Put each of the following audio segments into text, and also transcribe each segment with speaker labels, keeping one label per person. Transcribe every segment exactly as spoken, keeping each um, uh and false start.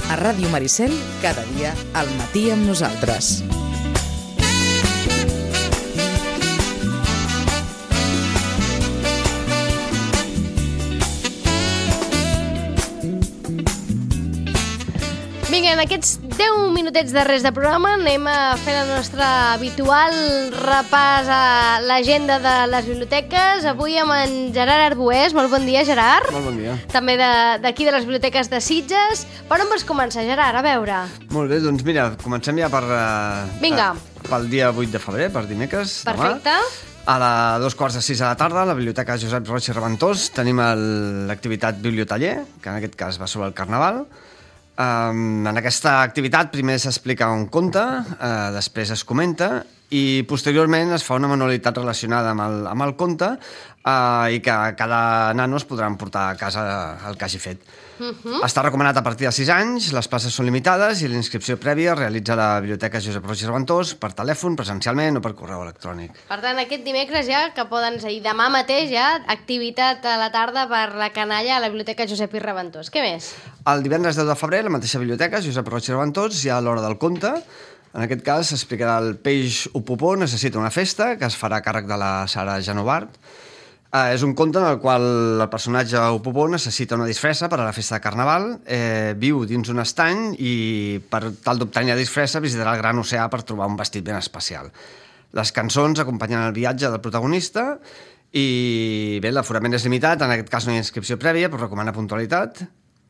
Speaker 1: A Ràdio Maricel, cada dia al matí amb nosaltres.
Speaker 2: Vinga, en aquests deu minutets de res de programa anem a fer el nostre habitual repàs a l'agenda de les biblioteques. Avui amb en Gerard Arbués. Molt bon dia, Gerard.
Speaker 3: Molt bon dia.
Speaker 2: També d'aquí de, de les biblioteques de Sitges. Per on vols començar, Gerard? A veure.
Speaker 3: Molt bé, doncs mira, comencem ja per... Uh,
Speaker 2: Vinga.
Speaker 3: Uh, pel dia vuit de febrer, per dimecres.
Speaker 2: Perfecte.
Speaker 3: Demà. A la dos quarts de sis de la tarda, a la Biblioteca Josep Roig i Reventós, tenim l'activitat Bibliotaller, que en aquest cas va sobre el Carnaval. Um, en aquesta activitat primer s'explica un conte, uh, després es comenta i posteriorment es fa una manualitat relacionada amb el, amb el conte uh, i que cada nano es podrà emportar a casa el que hagi fet. Uh-huh. Està recomanat a partir de sis anys, les places són limitades i la inscripció prèvia es realitza a la Biblioteca Josep Roig i Reventós per telèfon, presencialment o per correu electrònic.
Speaker 2: Per tant, aquest dimecres ja, que poden ser, i demà mateix ja, activitat a la tarda per la canalla a la Biblioteca Josep i Reventós. Què més?
Speaker 3: El divendres deu de febrer, a la mateixa biblioteca, Josep Roig i Reventós, hi ha l'hora del conte. En aquest cas s'explicarà el peix Upupó necessita una festa, que es farà a càrrec de la Sara Genovart. Uh, és un conte en el qual el personatge Upupó necessita una disfressa per a la festa de Carnaval, eh, viu dins un estany i per tal d'obtenir la disfressa visitarà el gran oceà per trobar un vestit ben especial. Les cançons acompanyen el viatge del protagonista i bé, l'aforament és limitat, en aquest cas no hi ha inscripció prèvia, però recomana puntualitat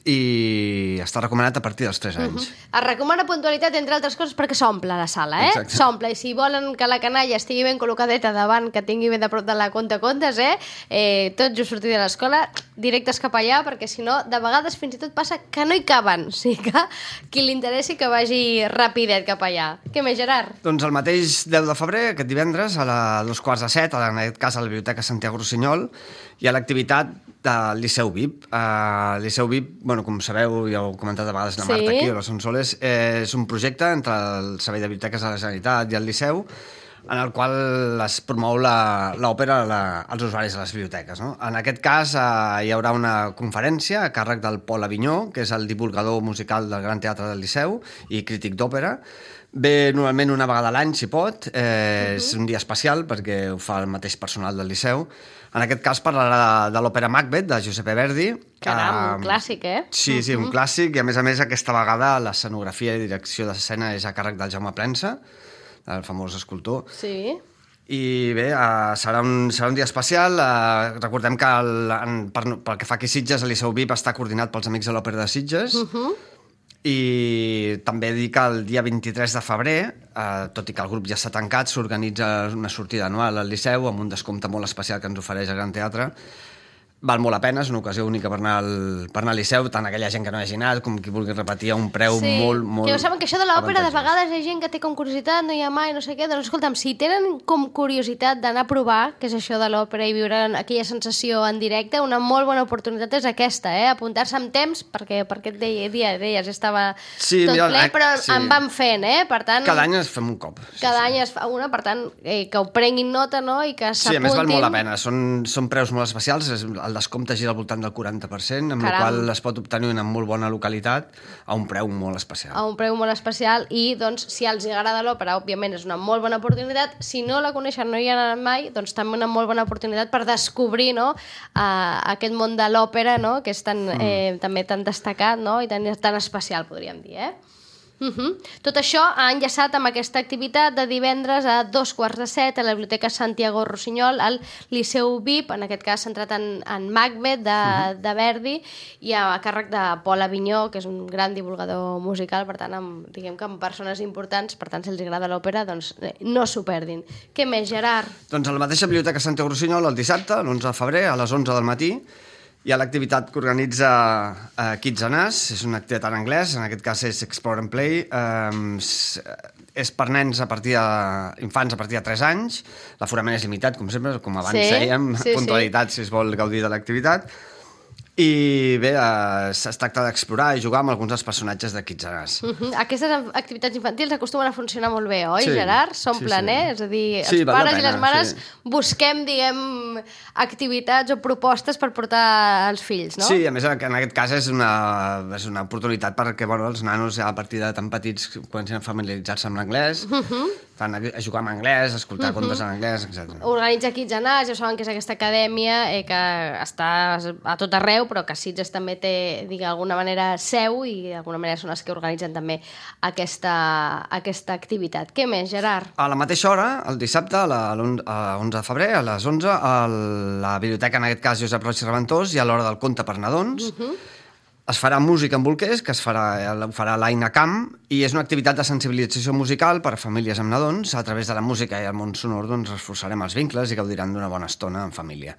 Speaker 3: i està recomanat a partir dels tres anys.
Speaker 2: Uh-huh. Es recomana puntualitat, entre altres coses, perquè s'omple la sala, eh?
Speaker 3: Exacte.
Speaker 2: S'omple, i si volen que la canalla estigui ben col·locadeta davant, que tingui ben de prop de la conta-contes, eh? eh tot just sortir de l'escola, directes cap allà, perquè si no, de vegades fins i tot passa que no hi caben. O sigui que qui li interessi que vagi rapidet cap allà. Què més, Gerard?
Speaker 3: Doncs el mateix deu de febrer, aquest divendres, a la dos quarts de set, en aquest cas a la Biblioteca Santiago Rossinyol, hi ha l'activitat del Liceu V I P. Uh, el Liceu V I P, bueno, com sabeu, ja ho he comentat a vegades la
Speaker 2: Sí.
Speaker 3: Marta aquí o la Sonsoles, eh, és un projecte entre el Servei de Biblioteques de la Generalitat i el Liceu, en el qual es promou l'òpera als usuaris de les biblioteques. No? En aquest cas eh, hi haurà una conferència a càrrec del Pol Avinyó, que és el divulgador musical del Gran Teatre del Liceu i crític d'òpera. Ve normalment una vegada a l'any, si pot. Eh, uh-huh. És un dia especial perquè ho fa el mateix personal del Liceu. En aquest cas parlarà de, de l'òpera Macbeth, de Giuseppe Verdi.
Speaker 2: Caram, un clàssic, eh?
Speaker 3: Sí, sí, uh-huh. un clàssic. I a més a més, aquesta vegada l'escenografia i direcció d'escena és a càrrec del Jaume Plensa, el famós escultor.
Speaker 2: Sí.
Speaker 3: I bé, uh, serà, un, serà un dia especial. Uh, recordem que el, en, per, pel que fa aquí a Sitges, el Liceu V I P està coordinat pels Amics de l'Òpera de Sitges. Uh-huh. I també dic que el dia vint-i-tres de febrer, eh, tot i que el grup ja està tancat, s'organitza una sortida anual al Liceu amb un descompte molt especial que ens ofereix el Gran Teatre. Val molt la pena, és una ocasió única per anar al, per anar al Liceu, tant aquella gent que no hagi anat com qui vulgui repetir a un preu
Speaker 2: sí.
Speaker 3: molt, molt...
Speaker 2: Que ho saben que això de l'òpera de vegades hi ha gent que té com curiositat, no hi ha mai, no sé què, doncs escolta'm, si tenen com curiositat d'anar a provar què és això de l'òpera i viure aquella sensació en directe, una molt bona oportunitat és aquesta, eh? Apuntar-se amb temps, perquè per aquest dia, dia deies estava
Speaker 3: sí,
Speaker 2: tot
Speaker 3: mira,
Speaker 2: ple, però
Speaker 3: sí.
Speaker 2: en van fent, eh? Per tant,
Speaker 3: cada any es fem un cop. Sí,
Speaker 2: cada
Speaker 3: sí.
Speaker 2: any es fa una, per tant, eh, que ho prenguin nota, no? I que s'apuntin.
Speaker 3: Sí, a més val molt la pena, són, són preus molt especials, el descompte gira al voltant del quaranta per cent, amb
Speaker 2: Caram.
Speaker 3: la qual es pot obtenir una molt bona localitat a un preu molt especial.
Speaker 2: A un preu molt especial i, doncs, si els agrada l'òpera, òbviament és una molt bona oportunitat. Si no la coneixen, no hi ha anat mai, doncs també una molt bona oportunitat per descobrir, no?, uh, aquest món de l'òpera, no?, que és tan, mm. eh, també tan destacat, no?, i tan, tan especial, podríem dir, eh? Uh-huh. Tot això ha enllaçat amb aquesta activitat de divendres a dos quarts de set a la Biblioteca Santiago Rossinyol, al Liceu V I P, en aquest cas centrat en, en Macbeth de, uh-huh. de Verdi, i a càrrec de Pol Avinyó, que és un gran divulgador musical, per tant, amb, diguem que amb persones importants, per tant, si els agrada l'òpera, doncs no s'ho perdin. Què més, Gerard?
Speaker 3: Doncs a la mateixa Biblioteca Santiago Rossinyol, el dissabte, l'onze de febrer, a les onze del matí, hi ha l'activitat que organitza uh, Kids and Us, és una activitat en anglès, en aquest cas és Explore and Play, um, és per nens a partir de, infants a partir de tres anys, l'aforament és limitat, com sempre, com abans
Speaker 2: sí,
Speaker 3: dèiem,
Speaker 2: sí,
Speaker 3: puntualitat
Speaker 2: sí.
Speaker 3: si es vol gaudir de l'activitat, I bé, eh, es tracta d'explorar i jugar amb alguns dels personatges de Kids R Us.
Speaker 2: Uh -huh. Aquestes activitats infantils acostumen a funcionar molt bé, oi,
Speaker 3: Sí,
Speaker 2: Gerard? S'omplen,
Speaker 3: sí, sí.
Speaker 2: eh? És a dir,
Speaker 3: Sí,
Speaker 2: els
Speaker 3: val la
Speaker 2: pares i
Speaker 3: pena,
Speaker 2: les mares
Speaker 3: sí.
Speaker 2: busquem, diguem, activitats o propostes per portar als fills, no?
Speaker 3: Sí, a més, en aquest cas és una, és una oportunitat perquè bueno, els nanos, ja a partir de tan petits, comencen a familiaritzar-se amb l'anglès, uh -huh. fan a, a jugar amb anglès, a escoltar uh -huh. contes en anglès, etcètera.
Speaker 2: Organitza Kids R Us, ja saben que és aquesta acadèmia eh, que està a tot arreu, però que Sitges també té, d'alguna manera, seu i d'alguna manera són els que organitzen també aquesta, aquesta activitat. Què més, Gerard?
Speaker 3: A la mateixa hora, el dissabte, a l'onze de febrer, a les onze, a la biblioteca, en aquest cas, Josep Roig i Reventós, i a l'hora del conte per nadons, uh -huh. es farà música en bolquers, que es farà, ho farà l'Aina Camp, i és una activitat de sensibilització musical per a famílies amb nadons. A través de la música i el món sonor doncs, reforçarem els vincles i gaudiran d'una bona estona en família.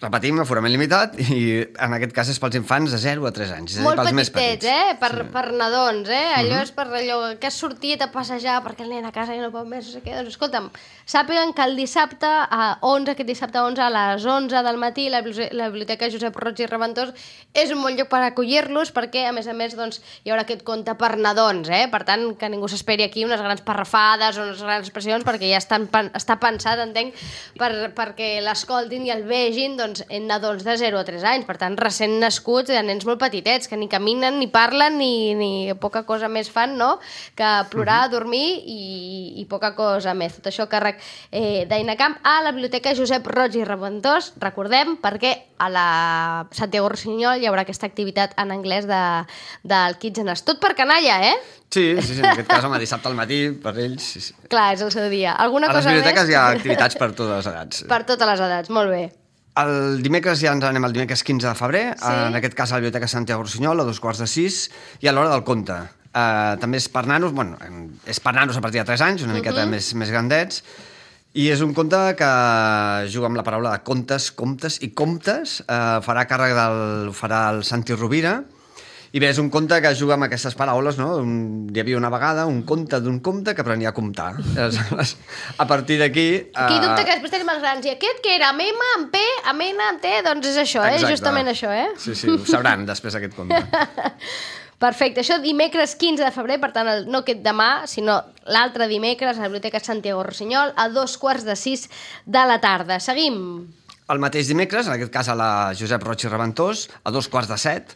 Speaker 3: Repetim, aforament limitat, i en aquest cas és pels infants de zero a tres anys. És a dir,
Speaker 2: Molt
Speaker 3: pels més
Speaker 2: petitets,
Speaker 3: petits.
Speaker 2: eh? Per,
Speaker 3: Sí.
Speaker 2: per nadons, eh? Allò
Speaker 3: Mhm.
Speaker 2: és per allò que has sortit a passejar perquè el nen a casa ja no pot més, no sé què. Doncs escolta'm, sàpiguen que el dissabte a onze, aquest dissabte a onze, a les onze del matí, la, bibli- la Biblioteca Josep Roig i Reventós és un bon lloc per acollir-los perquè, a més a més, doncs, hi haurà aquest conte per nadons, eh? Per tant, que ningú s'esperi aquí unes grans parrafades o unes grans expressions perquè ja estan, està pensat, entenc, per, perquè l'escoltin i el vegin, doncs, en nadons de zero a tres anys, per tant, recent nascuts, de nens molt petitets, que ni caminen, ni parlen, ni, ni poca cosa més fan, no?, que plorar, uh -huh. dormir i, i poca cosa més. Tot això a càrrec eh, d'Aina Camp a la Biblioteca Josep Roig i Reventós, recordem, perquè a la Santiago Rossinyol hi haurà aquesta activitat en anglès de, del Kids R Us. Tot per canalla, eh?
Speaker 3: Sí, sí, sí, en aquest cas, home, dissabte al matí, per ells... Sí, sí.
Speaker 2: Clar, és el seu dia. Alguna
Speaker 3: A les
Speaker 2: cosa
Speaker 3: biblioteques
Speaker 2: més?
Speaker 3: hi ha activitats per totes les edats.
Speaker 2: Per totes les edats, molt bé.
Speaker 3: El dimecres ja ens anem al dimecres quinze de febrer,
Speaker 2: Sí.
Speaker 3: en aquest cas a la Biblioteca Santiago Rossinyol, a dos quarts de sis, i a l'hora del conte. Uh, també és per nanos, bueno, és per nanos a partir de tres anys, una miqueta uh -huh. més, més grandets, i és un conte que juga amb la paraula de contes, comptes i comptes, uh, farà càrrec del... farà el Santi Rovira, i bé, és un conte que juga amb aquestes paraules, no? Un, hi havia una vegada un conte d'un comte que aprenia a comptar. Aleshores, a partir d'aquí...
Speaker 2: Aquí dubte que després tenim els grans. I aquest que era amb M, amb P, amb N, amb T, doncs és això, eh?
Speaker 3: Exacte.
Speaker 2: Justament això, eh?
Speaker 3: Sí, sí, ho sabran després aquest conte.
Speaker 2: Perfecte, això dimecres quinze de febrer, per tant, el, no aquest demà, sinó l'altre dimecres a la Biblioteca Santiago Rossinyol, a dos quarts de sis de la tarda. Seguim.
Speaker 3: El mateix dimecres, en aquest cas a la Josep Roig i Reventós, a dos quarts de set,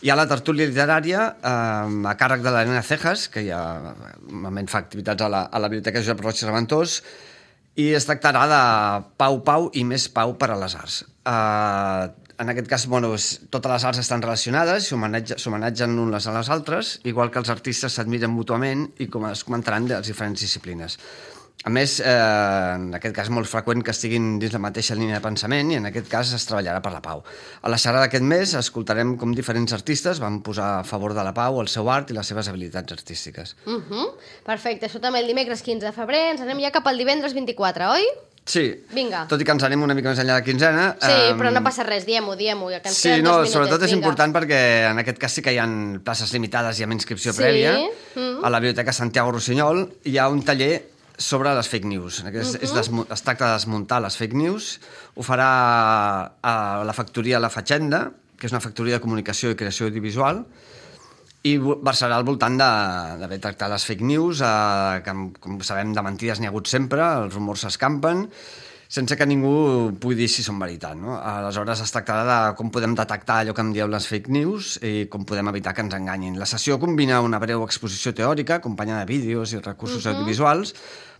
Speaker 3: hi ha la tertúlia literària eh, a càrrec de la Nena Cejas, que ja normalment fa activitats a la, a la Biblioteca Josep Roig i Reventós, i es tractarà de Pau, Pau i més Pau per a les arts. Eh, en aquest cas, bueno, és, totes les arts estan relacionades, s'homenatgen unes a les altres, igual que els artistes s'admiren mútuament i com es comentaran de les diferents disciplines. A més, eh, en aquest cas és molt freqüent que estiguin dins la mateixa línia de pensament i en aquest cas es treballarà per la pau. A la xerrada d'aquest mes escoltarem com diferents artistes van posar a favor de la pau el seu art i les seves habilitats artístiques.
Speaker 2: Uh -huh. Perfecte, això també el dimecres quinze de febrer. Ens anem ja cap al divendres vint-i-quatre, oi?
Speaker 3: Sí,
Speaker 2: Vinga.
Speaker 3: tot i que ens anem una mica més enllà de quinzena...
Speaker 2: Sí, um... però no passa res, diem-ho, diem-ho, ja que ens
Speaker 3: Sí,
Speaker 2: queden
Speaker 3: no,
Speaker 2: dos minutets.
Speaker 3: sobretot és
Speaker 2: Vinga.
Speaker 3: important perquè en aquest cas sí que hi ha places limitades i amb inscripció
Speaker 2: Sí.
Speaker 3: prèvia.
Speaker 2: Mm.
Speaker 3: A la Biblioteca Santiago Rossinyol hi ha un taller sobre les fake news. És,
Speaker 2: Uh-huh.
Speaker 3: és desmu es tracta de desmuntar les fake news. Ho farà a la factoria La Fatxenda, que és una factoria de comunicació i creació audiovisual, i versarà al voltant d'haver tractat les fake news, eh, que, com sabem, de mentides n'hi ha hagut sempre, els rumors s'escampen, sense que ningú pugui dir si són veritat, no? Aleshores es tractarà de com podem detectar allò que em dieu les fake news i com podem evitar que ens enganyin. La sessió combina una breu exposició teòrica, acompanyada de vídeos i recursos uh-huh. audiovisuals,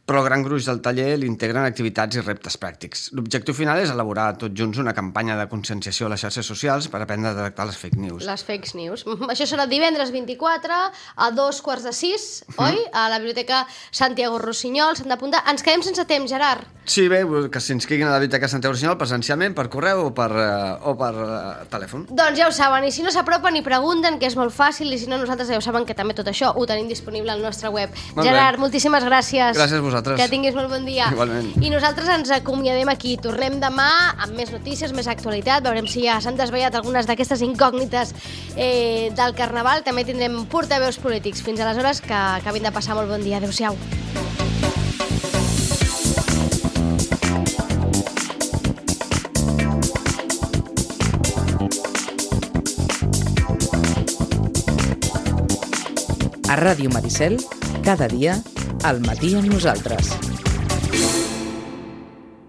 Speaker 3: però el gran gruix del taller l'integren activitats i reptes pràctics. L'objectiu final és elaborar tots junts una campanya de conscienciació a les xarxes socials per aprendre a detectar les fake news.
Speaker 2: Les fake news. Això serà divendres vint-i-quatre a dos quarts de sis, uh-huh. oi? A la Biblioteca Santiago Rossinyol, s'han d'apuntar. Ens quedem sense temps, Gerard.
Speaker 3: Sí, bé, que s'inscriguin a la Biblioteca Santiago Rossinyol presencialment, per correu o per, uh, o per uh, telèfon.
Speaker 2: Doncs ja ho saben, i si no s'apropen i pregunten, que és molt fàcil, i si no, nosaltres ja ho saben que també tot això ho tenim disponible al nostre web.
Speaker 3: Molt
Speaker 2: Gerard,
Speaker 3: bé.
Speaker 2: moltíssimes gràcies.
Speaker 3: Gràcies a vosaltres.
Speaker 2: Que tinguis molt bon dia.
Speaker 3: Igualment.
Speaker 2: I nosaltres ens acomiadem aquí. Tornem demà amb més notícies, més actualitat. Veurem si ja s'han desvetllat algunes d'aquestes incògnites eh, del Carnaval. També tindrem portaveus polítics. Fins aleshores, que acabin de passar molt bon dia. Adéu-siau.
Speaker 1: A Ràdio Maricel, cada dia, al matí amb nosaltres.